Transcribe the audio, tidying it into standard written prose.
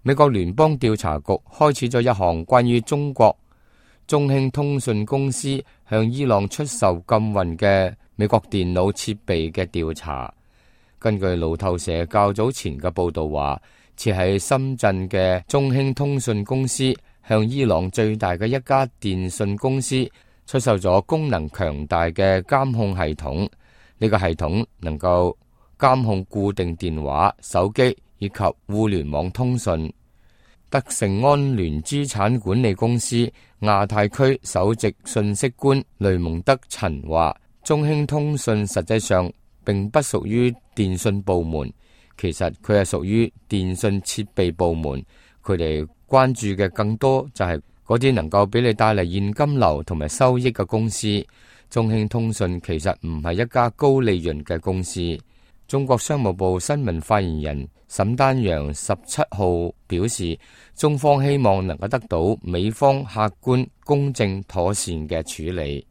美國聯邦調查局開始咗一項關於中國中興通訊公司向伊朗出售禁運嘅美國電腦設備嘅調查。根據路透社較早前嘅報道話，設喺深圳嘅中興通訊公司向伊朗最大嘅一家電信公司出售咗功能強大嘅監控系統。呢個系統能夠監控固定電話、手機以及互聯網通訊。德盛安聯資產管理公司亞太區首席信息官雷蒙德陳話，中興通訊實際上並不屬於電信部門，其實佢係屬於電信設備部門。佢哋關注嘅更多就係嗰啲能夠俾你帶嚟現金流同埋收益嘅公司。中興通訊其實唔係一家高利潤嘅公司。中國商務部新聞發言人沈丹陽17號表示，中方希望能夠得到美方客觀、公正、妥善嘅處理。